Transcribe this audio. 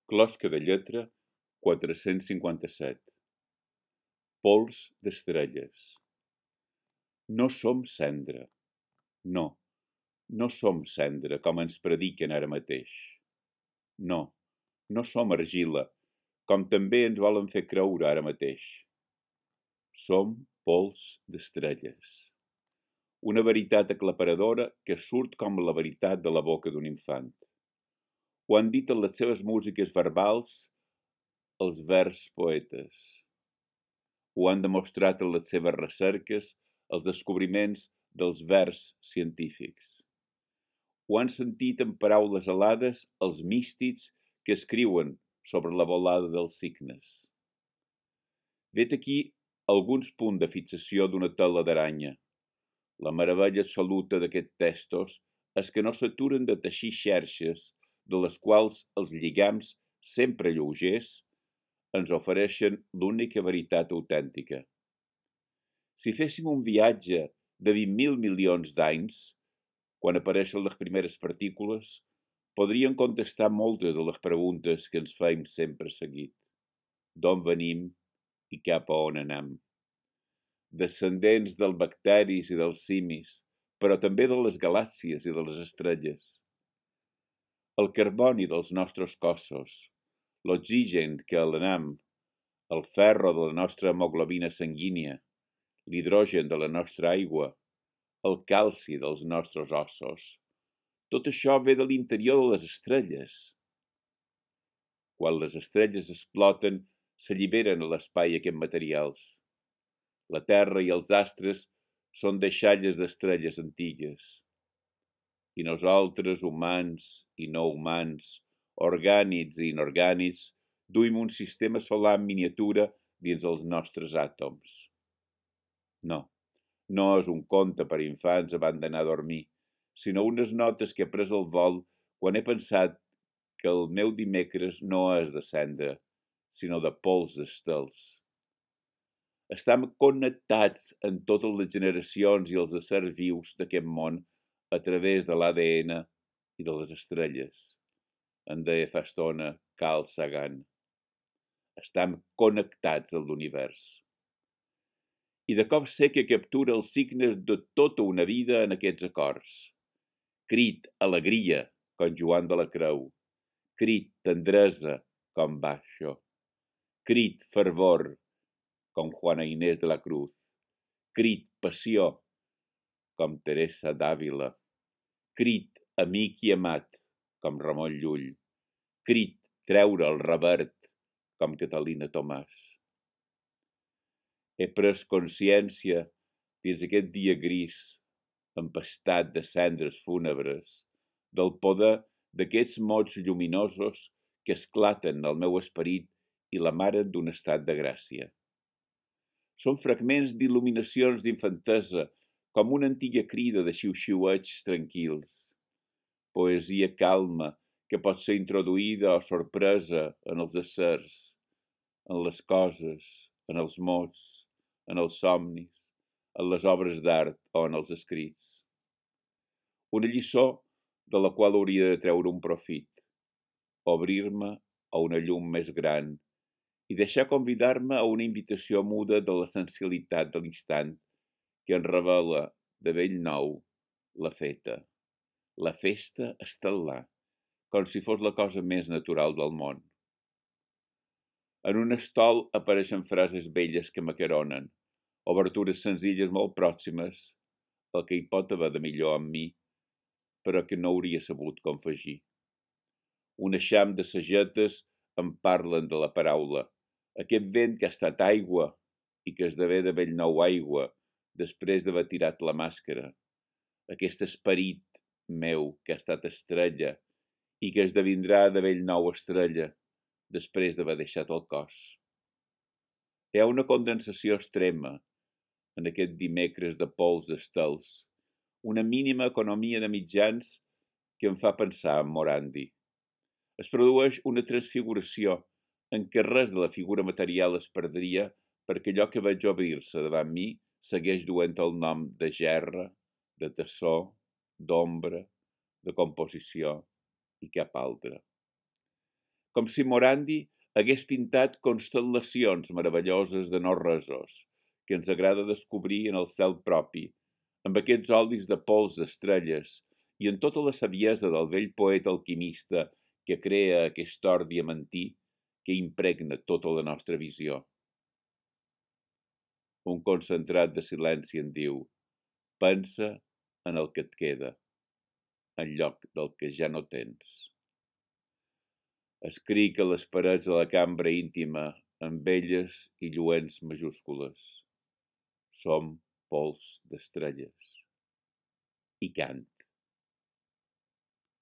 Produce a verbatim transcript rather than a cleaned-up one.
Closca de lletra quatre-cents cinquanta-set. Pols d'estrelles. No som cendra. No, no som cendra, com ens prediquen ara mateix. No, no som argila, com també ens volen fer creure ara mateix. Som pols d'estrelles. Una veritat aclaparadora que surt com la veritat de la boca d'un infant. Ho han dit en les seves músiques verbals els vers poetes. Ho han demostrat en les seves recerques els descobriments dels vers científics. Ho han sentit en paraules alades els místics que escriuen sobre la volada dels cignes. Vet aquí alguns punts de fixació d'una tela d'aranya. La meravella absoluta d'aquests textos és que no s'aturen de teixir xerxes de les quals els lligams, sempre lleugers, ens ofereixen l'única veritat autèntica. Si féssim un viatge de vint mil milions d'anys, quan apareixen les primeres partícules, podríem contestar moltes de les preguntes que ens feim sempre seguit. D'on venim i cap a on anem? Descendents dels bacteris i dels simis, però també de les galàxies i de les estrelles. El carboni dels nostres cossos, l'oxigen que elenem, el ferro de la nostra hemoglobina sanguínia, l'hidrogen de la nostra aigua, el calci dels nostres ossos. Tot això ve de l'interior de les estrelles. Quan les estrelles exploten, s'alliberen a l'espai aquests materials. La Terra i els astres són deixalles d'estrelles antigues. I nosaltres, humans i no humans, orgànics i inorgànics, duim un sistema solar en miniatura dins els nostres àtoms. No, no és un conte per infants abans d'anar a dormir, sinó unes notes que he pres al vol quan he pensat que el meu dimecres no és de cendra, sinó de pols d'estels. Estem connectats en totes les generacions i els éssers vius d'aquest món a través de l'A D N i de les estrelles, en deia fa estona Carl Sagan. Estem connectats a l'univers. I de cop sé que captura els signes de tota una vida en aquests acords. Crit, alegria, com Joan de la Creu. Crit, tendresa, com Basho. Crit, fervor, com Juana Inés de la Cruz. Crit, passió, com Teresa d'Àvila. Crit, amic i amat, com Ramon Llull. Crit, treure el revert, com Catalina Tomàs. He pres consciència, dins aquest dia gris, empastat de cendres fúnebres, del poder d'aquests mots lluminosos que esclaten al meu esperit i l'amaren d'un estat de gràcia. Són fragments d'il·luminacions d'infantesa, com una antiga crida de xiu-xiuets tranquils. Poesia calma que pot ser introduïda o sorpresa en els éssers, en les coses, en els mots, en els somnis, en les obres d'art o en els escrits. Una lliçó de la qual hauria de treure un profit, obrir-me a una llum més gran i deixar convidar-me a una invitació muda de l'essencialitat de l'instant que en revela de bell nou la feta, la festa estel·lar, com si fos la cosa més natural del món. En un estol apareixen frases velles que m'acaronen, obertures senzilles molt pròximes, el que hi pot haver de millor en mi, però que no hauria sabut confegir. Un eixam de sagetes em parlen de la paraula, aquest vent que ha estat aigua i que esdevé de bell nou aigua després d'haver tirat la màscara, aquest esperit meu que ha estat estrella i que esdevindrà de bell nou estrella després d'haver deixat el cos. Hi ha una condensació extrema en aquest dimecres de pols d'estels, una mínima economia de mitjans que em fa pensar en Morandi. Es produeix una transfiguració en què res de la figura material es perdria perquè allò que veig obrir-se davant mi segueix duent el nom de gerra, de tessó, d'ombra, de composició i cap altre. com si Morandi hagués pintat constel·lacions meravelloses de no-resos, que ens agrada descobrir en el cel propi, amb aquests olis de pols d'estrelles i en tota la saviesa del vell poeta alquimista que crea aquest or diamantí que impregna tota la nostra visió. Un concentrat de silenci en diu: pensa en el que et queda, en lloc del que ja no tens. Escric a les parets de la cambra íntima amb velles i lluents majúscules. Som pols d'estrelles. I cant.